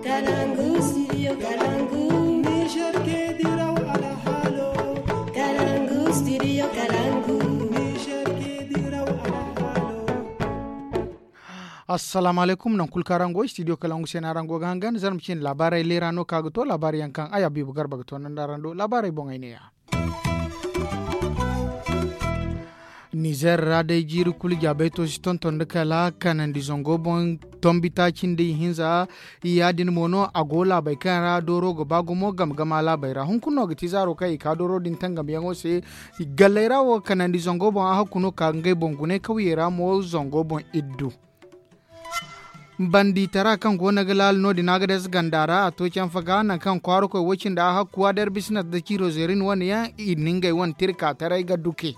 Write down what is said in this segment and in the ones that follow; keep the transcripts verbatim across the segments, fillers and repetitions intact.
Kalangu, studio Kalangu. Niger ke diraw alhalo. Kalangu, studio Kalangu. Niger ke diraw alhalo. Assalamu alaikum, nan kulu kaŋ araŋ go studio Kalangu se no araŋ go ga hangan zarma cine laabaarey leera no ka ga to laabaari yaŋ kaŋ ay Habiibu Garba ga to nanda araŋ do laabaarey boŋey neeya. Nizer ra day jiiri kulu jaabayto si tonton nda kala kanandi zango boŋ tombi taaci nda ihinza. Yaadin mo no a go laabey kaŋ ra dooro ga ba gumo game gama laabey ra hunkuna no ga ti zaaro kaŋ i ka dooro din tangamyaŋo se. Galley ra wo kanandi zango boŋ a hakku no ka ga ngey boŋ gune kawyey ra mo zango boŋ iddu. Bandi tara kaŋ go no ga laala no- din a ga dayza ganda ra a to canfa ga nangu kaŋ kwaara koy wo cindi a hakku a darbisina da ciro zerin wane yaŋ i na ngey wane tirka taray ga duke.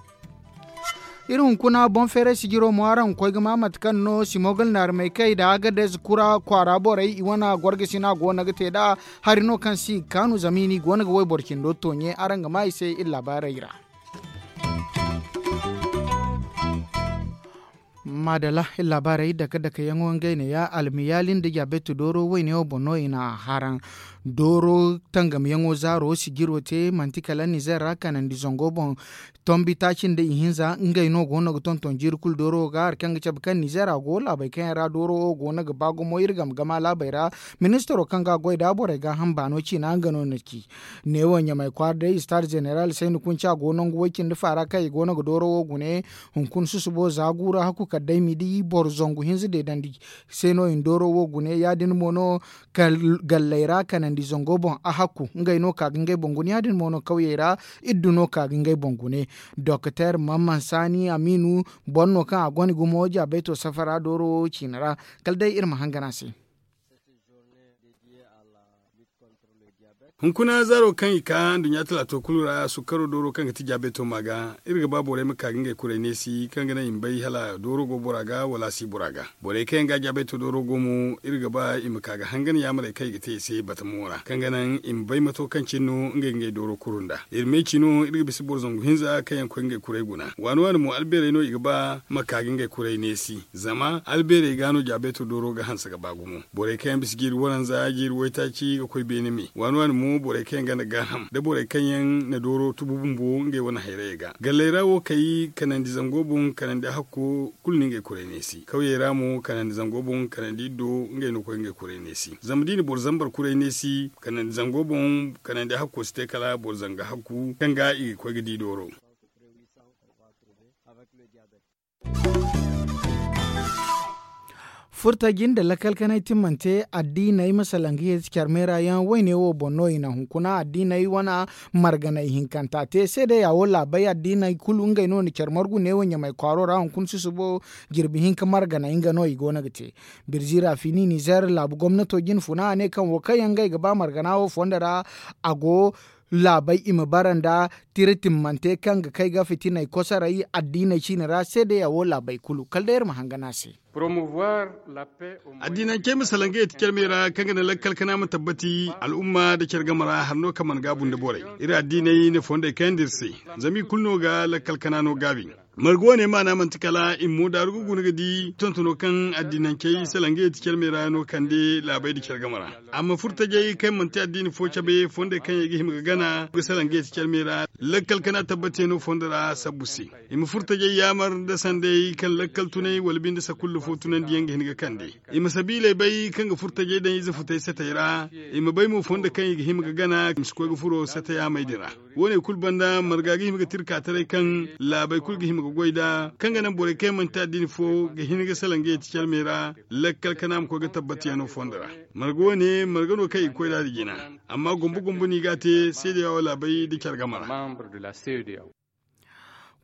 Iri hunkuna boŋ feeray sijiro mo araŋ ga koy ga ma mate kaŋ no simogal naarmey kay da a ga dayza kura kwaara borey i wane gorgasina go no ga te nd'a. Hari no kaŋ si ga kaanu zama i no i go no ga wayboro cindo toonye araŋ ga ma i se iri laabaarey ra. Maadala iri laabaarey dake dake yaŋo ngey ne ya almiyaali nda jaabeeto dooro wayne wo boŋ no i na a haraŋ. Dooro tangamyaŋo zaaro sijiro te manti kala nizer ra kanandi zango boŋ. Tombi taaci nda ihinza ngey no go no ga tonton jiiri kulu dooro wo ga hari kaŋ ga cabe kaŋ nizer a go laabey kaŋ yaŋ ra dooro wo go no ga ba gumo iri game gama laabey ra. Ministaro kaŋ ga a goy nd'a borey gaaham baano ciina nga no na ci. Neewo ɲamay kwaara day istaad zeneral sayni kunca go nangu way cindi faara kaŋ i go no ga dooro wo gune. Hunkuna susubo za gu ra hakku kala day midi boro zangu hinza deedandi. Se no i na dooro wo gune ya- din mo no galley ra kanandi zango boŋ a hakku ngey no ka ga ngey boŋ gune ya- din mo no kawyey ra. Iddu no ka ga ngey boŋ gune. Doktor mamman saani amiinu boro no kaŋ a gone gumo jaabayto safara dooro wo ciina ra. Kala day iri ma hangan a se. Hunkuna zaaro kaŋ i ka nduɲɲa talaato kulu ra sukkaro dooro kaŋ ga ti jaabeeto ma ga iri ga ba borey ma ka ga ngey kuray neesi kaŋ ga naŋ i ma bay hala dooro go bora ga wala a si bora ga. Borey kaŋ yaŋ ga jaabeeto dooro go mo iri ga ba i ma ka ga hangan yaamarey kaŋ i ga te i se batamo ra kaŋ ga naŋ i ma bay mato kaŋ cine no ngey ga ngey dooro kuru nd'a. Iri meeci no iri ga bisa boro zangu hinza kaŋ yaŋ koy ngey kuray guna waani waani mo albeerey no i ga ba ma ka ga ngey kuray neesi. Zama albeerey ga no jaabeeto dooro ga hanse ga ba gumo. Borey kaŋ yaŋ bisa jiiri waranza jiiri waytaaci ga koy beene me waani waani mo borey kaŋ yaŋ ganda gaaham da borey kaŋ yaŋ na dooro tubu bumbo ngey wane hayrayey ga galley ra wo kay kanandi zango boŋ kanandi hakko kulu na ngey kuray neesi kawyey ra mo kanandi zango boŋ kanandi iddo ngey no koy ngey kuray neesi zama da i na boro zambar kuray neesi kanandi zango boŋ kanandi hakko si te kala boro zanga hakku kaŋ ga i ga koy ga di dooro. Furtaji nda lakkal kanay timmante addiiney ma salaŋ ga yeeti care meera yaŋ wayne wo boŋ no i na hunkuna addiiney wane marganey hinkanta te seedeya wo laabey addiiney kulu ngey no na care margu neewo ɲamay kwaaro ra hunkuna susubo jirbi hinka marganey nga no i go no ga te. Birzi rafini nizer laabu gomnato jine funa a ne kaŋ wo kaŋ yaŋ ngey ga ba margana wo fondo ra a go laabey i ma bara nda tira timmante kaŋ ga kay ga fitiney kosoray addiiney ciine ra seedeya wo laabey kulu kala day iri ma hangan a se. Addiinancey ma salaŋ ga yeeti care meera kaŋ ga naŋ lakkal kana ma tabbati al'umma nda care game ra hari no kaŋ mana gaabu nda borey. Iri addiiney na fondey kayandi iri se zama i kulu no ga lakkal kana no gaabi. Marga wane maana manti kala i ma mo daaru ga guna ga di tontono kaŋ addiinancey salaŋ ga yeeti care meera no kande laabey nda care game ra. Amma furtajey kaŋ manti addiini fo cabe fondey kaŋ yaŋ ga hima ga gana ga salaŋ ga yeeti care meera lakkal kana tabbatiyaŋo fondo ra sabbu se. I ma furtajey yaamar nda sanday kaŋ lakkal tunay wala binde sakulla fo tunandiyaŋ ga hin ga kande. I ma sabiiley bay kaŋ ga furtajey daŋ ize futay satey ra. I ma bay mo fondo kaŋ i ga hima ga gana i ma si koy ga furo satey amey din ra. Wo- ne kulu banda marga ga hima ga tira ka taray kaŋ laabey kulu ga hima ga goy nd'a kaŋ ga naŋ borey kaŋ yaŋ manti addiini fo ga hin ga salaŋ ga yeeti care me ra. Lakkal kana ma koy ga tabbatiyaŋo fondo ra. Marga wo- ne marga no kaŋ i ga koy nd'a nda jina. Amma gombo gombo no i g'a te seedeya wo laabey nda care game ra.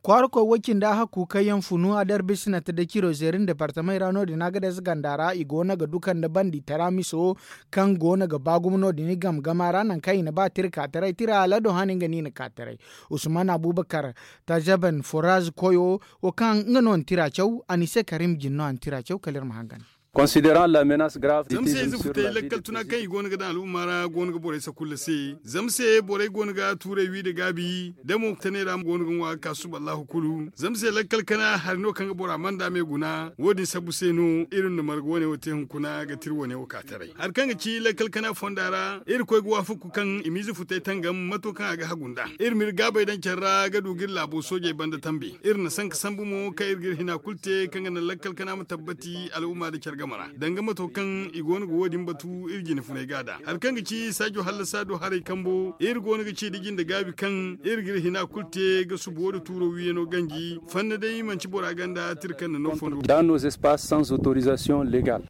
Kwaara koy wo- cindi a hakku kaŋ yaŋ funu a darbisina te da ciro zeerin departamey ra no- din a ga dayze ganda ra i go no ga duka nda bandi tara miso kaŋ go no ga ba gumo no- din i game gama ra nangu kaŋ i na ba tira ka taray tira alado hane nga no i na ka taray. Usman abubakar tazaban foraz koyo wo kaŋ nga no na tira caw a na i se karim jin no a na tira caw kala iri ma hangan. Considérant la menace grave. Zama se ize futay lakkal tuna kaŋ i go no ga daŋ al'umma ra go no ga borey sakulla se. Zama se borey go no ga tuurey wi nda gaabi da mo tanay ra go no ga ŋwa ga ka suba allahu kulu zama se lakkal kana hari no kaŋ ga bora manda me guna wo- din sabbu se no iri na marga wane wo te hunkuna ga tira wane wo ka taray hari kaŋ ga ci lakkal kana fonda ra. Iri koy ga waafaku kaŋ i ma ize futay tangam mato kaŋ a ga hagu nd'a iri ma iri gaabay daŋ care ra ga du ga iri laabo soojey banda tambe. Iri na sanka sambu mo kaŋ iri ga iri hina kulu te kaŋ ga naŋ lakkal kana ma tabbati al'umma nda care game ra danga mato kaŋ i go no ga wo- din batu iri jine funay ga a da hari kaŋ ga ci saajo hallasa do haray kambo iri go no ga ci nda jinde gaabi kaŋ iri ga iri hina kulu te ga subu wo- din tuuro wiyano ganji fanna day manti bora ganda tira kaŋ na no fondo. Dans nos espaces sans autorisation légale.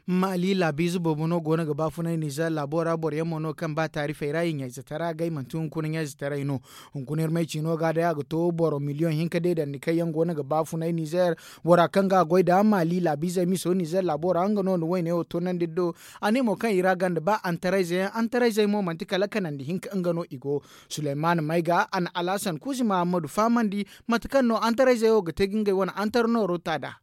Maali laabiize boobo no go no ga baafunay nizer laabo ra boro yaŋ mo no kaŋ ba taarifey ra i ɲayzetaray agay manti hunkuna ɲayzetaray no. Hunkuna iri may ciino ga day a ga to boro miliyoŋ hinka deedandi kaŋ yaŋ go no ga baafunay nizer. Bora kaŋ ga a goy nd'a maali laabiizey miso nizer laabo ra nga no na wayne wo toonandi iri do. A ne mo kaŋ i ra ganda ba antarayze yaŋ antarayzey mo manti kala kanandi hinka nga no i go. Suleyman may ga a na alhasan kuuzi mahammadu fahamandi mate kaŋ no antarayzey wo ga te ga ngey wane antar nooro ta nd'a.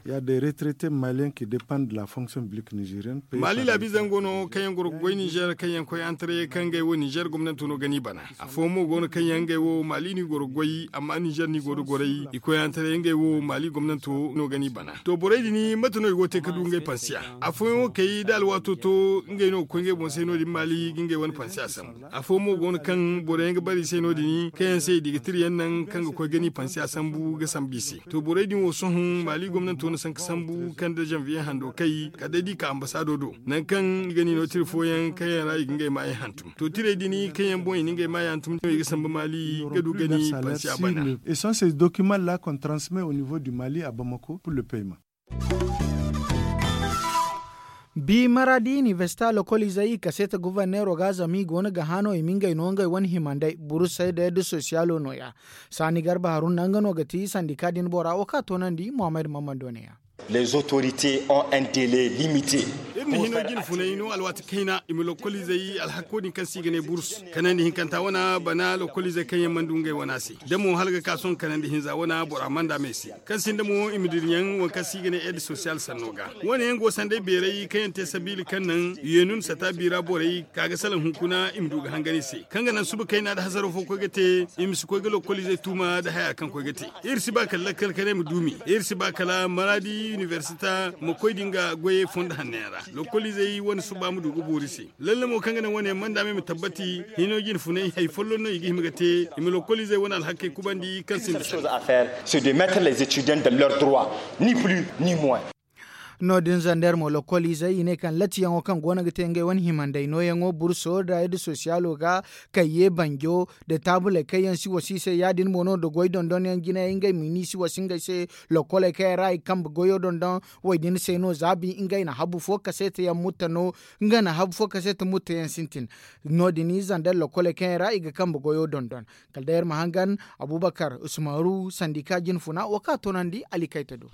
Ya de retraite maliyen ki depend de la fonction publique nigerienne. Maali laabiizey go no kaŋ yaŋ goro ga goy nizer kaŋ yaŋ koy antarayey kaŋ ngey wo nizer gomnanto no ga ni bana. Afooyaŋ mo go no kaŋ yaŋ ngey wo maali no i goro ga goy amma nizer no i go nda goray i koy antarayey ngey wo maali gomnanto no ga ni bana. To borey din mate no i go ga te ga du ngey pansiya? Afooyaŋ wo kay da alwaato to ngey no ga koy ngey boŋ se no- din maali ga ngey wane pansiya sambu. Afooyaŋ mo go no kaŋ boro yaŋ ga bare i se no- din kaŋ yaŋ se i di ga tira yaŋ naŋ kaŋ ga koy ga ni pansiya sambu ga sambu i se. To borey din wo sohõ maali gomnanto na sanka sambu kaŋ da zanviye hando kay kala day da i ka ambasaado do nangu kaŋ i ga ni no tira fooyaŋ kaŋ yaŋ ra i ga ngey maayey hantum to tirey din kaŋ yaŋ boŋ i na ngey maayey hantum no i ga sambu maali ga du ga ni pansiya bana. Et sont ces documents la qu'on transmet au niveau du mali à bamako pour le paiement. Bi maradi inibersita lokoliizey i kaseeta goborneero ga zama i go no ga hã no i ma ngey no ngey wane himandey burusey da yadda sosiyalo nooya. Saani garba haruna nga no ga ti sandika din bora wo kaŋ a toonandi muhammad mammando ne ya. Les autorités ont un délai limité. Iri na hino jine funay no alwaati kayna i ma lokoliizey alhako din kaŋ se i ga ne burus kanandi hinkanta wana bana lokoliizey kaŋ yaŋ mana du ngey wana se da mo hala ga ka sohõ kanandi hinza wana bora manda me se. Kaŋ sinda mo i ma dira yaŋ waŋ kaŋ se i ga ne ed sosiyal sanno ga wane yaŋ go sanday beeray kaŋ yaŋ te sabiila kaŋ naŋ yeenun sata biira borey ka ga salaŋ hunkuna i ma du ga hangan i se kaŋ ga naŋ suba kayna nda hasaro fo koy ga te. I ma si koy ga lokoliizey tuuma nda haya kaŋ koy ga te. Iri si ba kala lakkal kanay ma duumi iri si ba kala maraadi inibersita ma koy da nga goyey fondo hanno yaŋ ra. Lokoliizey wane suba ma du ga boori se lalle mo kaŋ ga naŋ wane yaŋ manda me ma tabbati hino jine funay hari folloŋ no i ga hima ga te. I ma lokoliizey wane alhakey kubandi kaŋ sinda sanda. C'est de mettre les étudiants dans leur droit, ni plus ni moins. No- din zander mo lokoliizey i ne kaŋ latiyaŋo kaŋ go no ga te ngey wane himandey nooyaŋo burso da yadda sosiyalo ga kayye banjo da taabuley kaŋ yaŋ si wasi i se ya- din mo no da goy dondonyaŋ jinayey ngey ma ni si wasi ngey se. Lokoley kaŋ yaŋ ra i ga kambe goyo dondon wo- din se no za bi ngey na habu fo kaseeta yaŋ mutta no nga na habu fo kaseeta mutta yaŋ sintin. No- din i zander lokoley kaŋ yaŋ ra i ga kambe goyo dondon. Kala day iri ma hangan abubakar usmaru sandika jine funa wo kaŋ a toonandi alikayta do.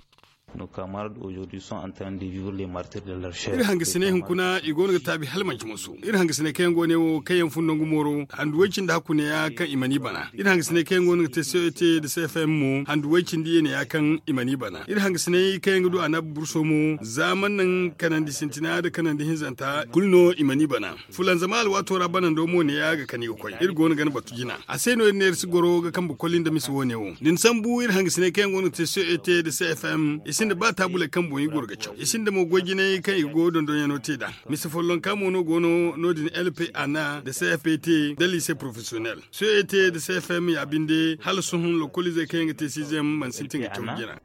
Iri hangasiney hunkuna i go no ga taabi hala manci moso iri hangasiney kaŋ yaŋ go ne wo kaŋ yaŋ fun nangu mooro handu way cindi hakku ne ya kaŋ i mana i bana iri hangasiney kaŋ yaŋ go no ga te c e t da c f m mo handu way cindi ye ne ya kaŋ i mana i bana iri hangasiney kaŋ yaŋ ga du annabi burso mo za mana naŋ kanandi sintina nda kanandi hinzanta kulu no i mana i bana. Fulanzama alwaato ra banando mo ne ya ga kani ga koy iri go no ga ni batu jina a se no iri ne iri si goro ga kambe koli nda misa wo- ne wo da ni sambu iri hangasiney kaŋ yaŋ go no ga te c e t da c f m i sinda ba taabuley kaŋ boŋ i goro ga caw i sinda mo goy jinay kaŋ i ga goyo dondonyaŋo te nd'a. Misa follonka mo no go no no- din l p a n a da c f p t da lycée professionnel c e t da c f m ya binde hala sohõ lokoliizey kaŋ yaŋ ga te sixième mana sintin ga caw jina.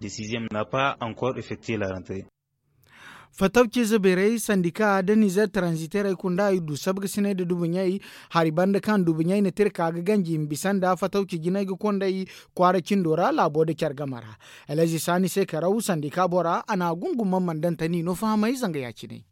Fatawciize beerey sandika da nizer transiterey kunda i du sabgasiney nda dubuɲey. Hari banda kaŋ dubuɲey na tirka ga ganji i ma bisa nda fatawci jinay ga konday kwaara cindo ra laabo nda care game ra. Elezi saani se karaw sandika bora a na a gunguma mandantani no fahamay zanga ya- cine.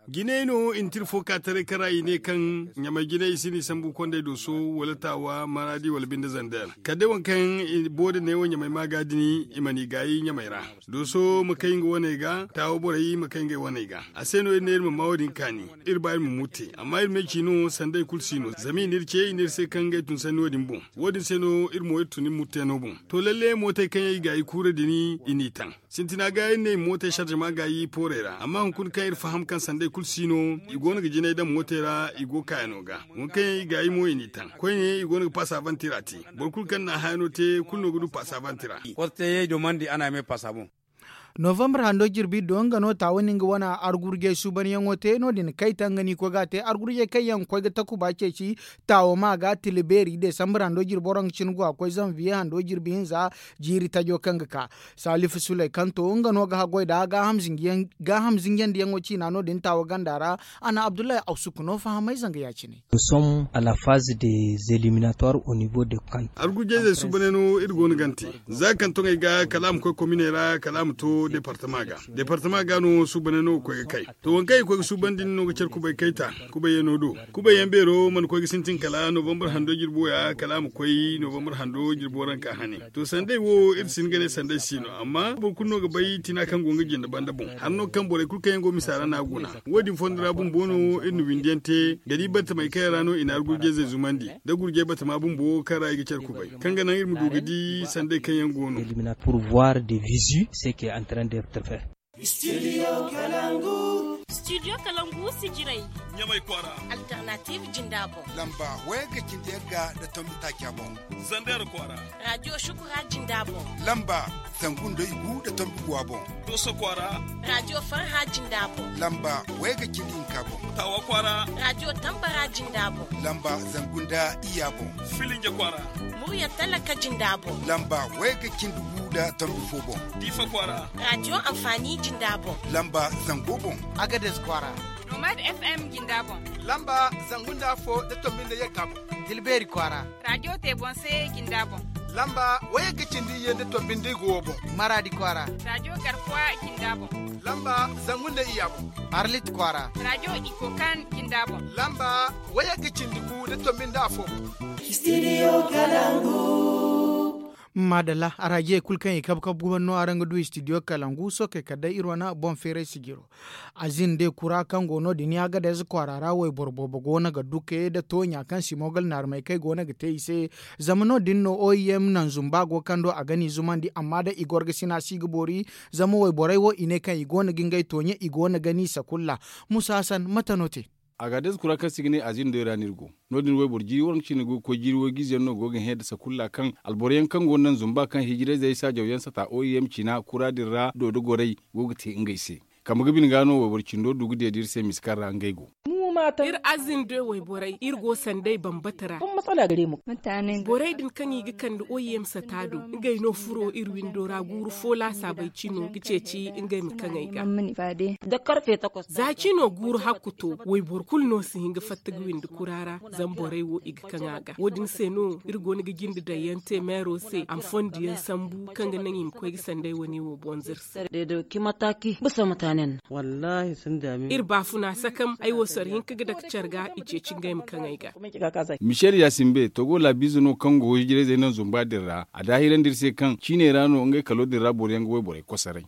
Jinay no i na tira fo ka taray kaŋ ra i ne kaŋ ɲamay jinay i si no i sambu kondey dooso, wala taawa maraadi wala binde zander kala day waŋ kaŋ boori ne wo ɲamay ma ga dini i mana i gaayi ɲamay ra. Dooso ma kay nga wane ga taawa borey ma kay ngey wane ga. A se no iri ne iri ma ma wo- din kaani. Iri ba iri ma murte amma iri ma ay ci no sanda hari kulu si no zama i n'iri ce i n'iri se kaŋ ngey tun sanni wo- din boŋ. Wo- din se no iri mo iri tun iri murteyaŋo boŋ. To lalle mootey kaŋ yaŋ i gaayi kuura din i n'i taŋ. Sintina ga iri ne i ma mootey sarjama gaayi poorey ra amma hunkuna kaŋ iri faham kaŋ sanda hari kulu si no i go no ga jinay daŋ mootey ra i go kaayano ga. Waŋ kaŋ yaŋ i gaayi mo i n'i taŋ koyne i go no ga paasa bantira te. Boro kulu kaŋ na a hayano te kulu no ga du paasa bantira. Novanbar hando jirbi do nga no taawa ni nga wane argurjey suubanyaŋo te no- din kayta nga no i koy ga a te argurjey kaŋ yaŋ ga koy ga takuba ceeci. Taawa ma ga tila beeri desambar hando jirbi waranka cine go a koy zanviye hando jirbi hinza. Jiiri tajo kaŋ ga ka salifu suley kaŋ to nga no ga haggoy nd'a gaaham zinjiyandiyaŋo ciina no- din taawa ganda ra. A na abdullahi awsuku no fahamay zanga ya- cine. Argujayzey suubaney no iri go no ga ni te. Za kaŋ toŋey ga kala a ma koy kominey ra kala a ma to departama ga. Departama ga no suubaney no ga koy ga kay. To waŋ kaŋ i koy ga suubandi ni no ga care kubay kayta. Kubayyaŋo do kubayyaŋ beero mana koy ga sintin kala novambar hando jirbo ya kala a ma koy novambar hando jirbo ranka hane. To sanday wo iri si hin ga ne sanday si no amma boro kulu no ga bay tina kaŋ go nga jinde banda boŋ. Hari no kaŋ borey kulu kaŋ yaŋ go misa ra no a guna. Wo- din fondo ra bumbo no iri na windi yaŋ te ga di battamey kaŋ yaŋ ra no i na hari gurjayzey zumandi, da gurjay battama bumbo kaŋ ra i ga care kubay kaŋ ga naŋ iri ma du ga di sanday kaŋ yaŋ go no. Pour voir de visu ce qui est en train d'être fait. Studio kalangu. Studio kalangu sijirey. Ɲamay kwaara. Alternative jinda boŋ. Lamba waya ga cindi yagga da tombi taaca boŋ. Zander kwaara. Radio shukura jinda boŋ. Lamba zangu nda igu da tombi guwa boŋ. Doso kwaara. Radio farha jinda boŋ. Lamba waya ga cindi hinka boŋ. Tawa kwaara. Radio tambara jinda boŋ. Lamba zangu nda iya boŋ. Filinja kwaara. Murya talaka jinda boŋ. Lamba waya ga cindi gu da tombi fo boŋ. Diifa kwaara. Radio amfani jinda boŋ. Lamba zango boŋ. Agades kwaara. Nomad fm jinda boŋ. Lamba zangu nda afo da tombi nda yagga boŋ. Dilbeeri kwaara. Radio tebonse jinda boŋ. Lamba waya ga cindi ye nda tombi nda igo boŋ. Maraadi kwaara. Radio garkuwa jinda boŋ. Lamba zangu nda iya boŋ. Arlit kwaara. Radio ikokan jinda boŋ. Lamba waya ga cindi gu da tombi nda afo boŋ. Studio kalangu. Madalla araajiyey kulu kaŋ i kabe kabe guman no araŋ ga du studio kalangu sookey kala day iri wane boŋ feeray sijiro. Azin day kura kaŋ go no- din ya ga day za kwaara ra wayboro boobo go no ga duke nda tooɲa kaŋ simogal naarmey kaŋ ay go no ga te i se. Zama no- din no oim naŋ zumba go kaŋ do a ga n'i zumandi amma day i gorgasina si ga boori. Zama wayborey wo i ne kaŋ i go no ga ngey tooɲe i go no ga n'i sakulla. Musa hasan mate no te? Agades kura kaŋ se i ga ne azindo ra no iri go. No- din wayboro jiiri waranka cine go ga koy jiiri waygu ize yaŋ no go ga hẽ nda sakulla kaŋ alboro yaŋ kaŋ go no naŋ zumba kaŋ hijirayzey saajaw yaŋ sata oim ciina kura din ra do da gorey go ga te ngey se. Kambe ga bine ga no wayboro cindo du ga deeda iri se misa kaŋ ra ngey go. Iri azindo wayborey iri go sanday bambata ra. Borey din kaŋ i ga kande oim sata do ngey no furo iri windo ra guuru fo laasaabey cino ga ceeci ngey ma kaŋey ga. Za cino guuru hakku to wayboro kulu no si hin ga fatta ga windi kura ra. Zama borey wo i ga kaŋ a ga wo- din se no iri go no ga jinde daŋ yaŋ te meero se a ma fondo yaŋ sambu kaŋ ga naŋ i ma koy ga sanday wane wo bonzir se. Iri baafuna sakam ay wo soro hinka ga dake care ga i ceeci ngey ma kaŋey ga. Michel yasimbe togo laabiize no kaŋ go hijirayzey naŋ zumba din ra a daahirandi iri se kaŋ ciiney ra no ngey kalo din ra boro yaŋ ga wayborey kosoray.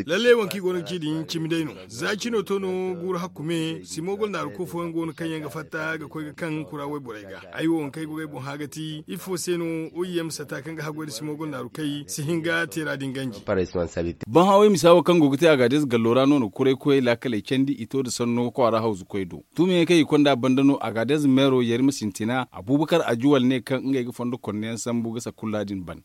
Lalle waŋ kaŋ i go no ga ci din cimi day no. Za cino to no guuru hakku me simogol naaru kofo yaŋ go no kaŋ yaŋ ga fatta ga koy ga kaŋ kura wayborey ga. Ay wo waŋ kaŋ ay go ga ay boŋ hã ga ti ifo se no oim sata kaŋ ga haggoy nda simogol naaru kay si hin ga teera din ganji. Boŋ hawey misa wo kaŋ go ga te agaadez gallo ra no na kuray koyey laakaley candi i to nda sanno kwaara hawzu koy do. Tuumiyaŋey kaŋ i konda banda no agaadez meero yarima sintina abuubakar ajuwal ne kaŋ ngey ga fondo konneyaŋ sambu ga sakulla din ban.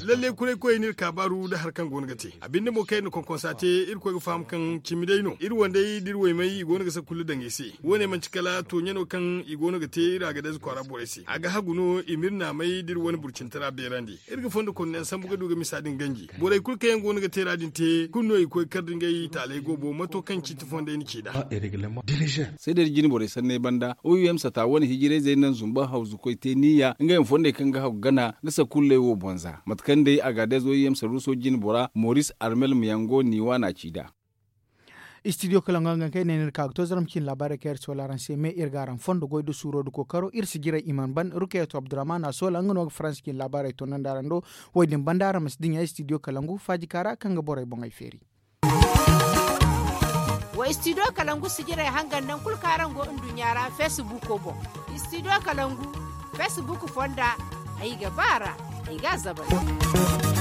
Lalle kuray koyey no iri kaabaaru nda hari kaŋ go no ga te a binde mo kaŋ iri na konkonsa te iri koy ga faham kaŋ cimi day no iri wandey nda iri waymey i go no ga sakulla daŋ i se. Wo- ne manti kala tooɲe no kaŋ i go no ga te iri agaadez kwaara borey se a ga hagu no i ma iri naamay nda iri wane burcintara beerandi. Iri ga fondo konneyaŋ sambu ga du ga misa din ganji borey kulu kaŋ yaŋ go no ga teera din te kulu no i koy kar nda ngey taaley goobo mato kaŋ ciiti fondey na ci nd'a. Seedey da jine borey sanney banda oim sata wane hijirayzey naŋ zumba hawzu koy te niya ngey ma fondey kaŋ ga hagu gana ga sakulley wo boŋ za mate kaŋ day agaadez oim. Ruso jine bora moris armel miyango niiwa na ci nd'a. Istidiyo kalangu hangan kaŋ ay ne no iri ka ga to zaram cine laabaarey kaŋ iri si wala araŋ se me iri ga araŋ fondo goy nda suuro nda kookaro iri si jiray i mana ban rukayeetu abdurrahman a soola nga no ga faransa cine laabaarey toonandi araŋ do. Wo- din banda araŋ ma si dinya istidiyo kalangu faaji kaara kaŋ ga borey boŋey feeri. Wa istidiyo kalangu si jiray hangan nangu kulu kaŋ araŋ go nduɲɲa ra feesibuuko boŋ. Istidiyo kalangu feesibuuko fonda ay ga ba a ra. Ay ga a zabari.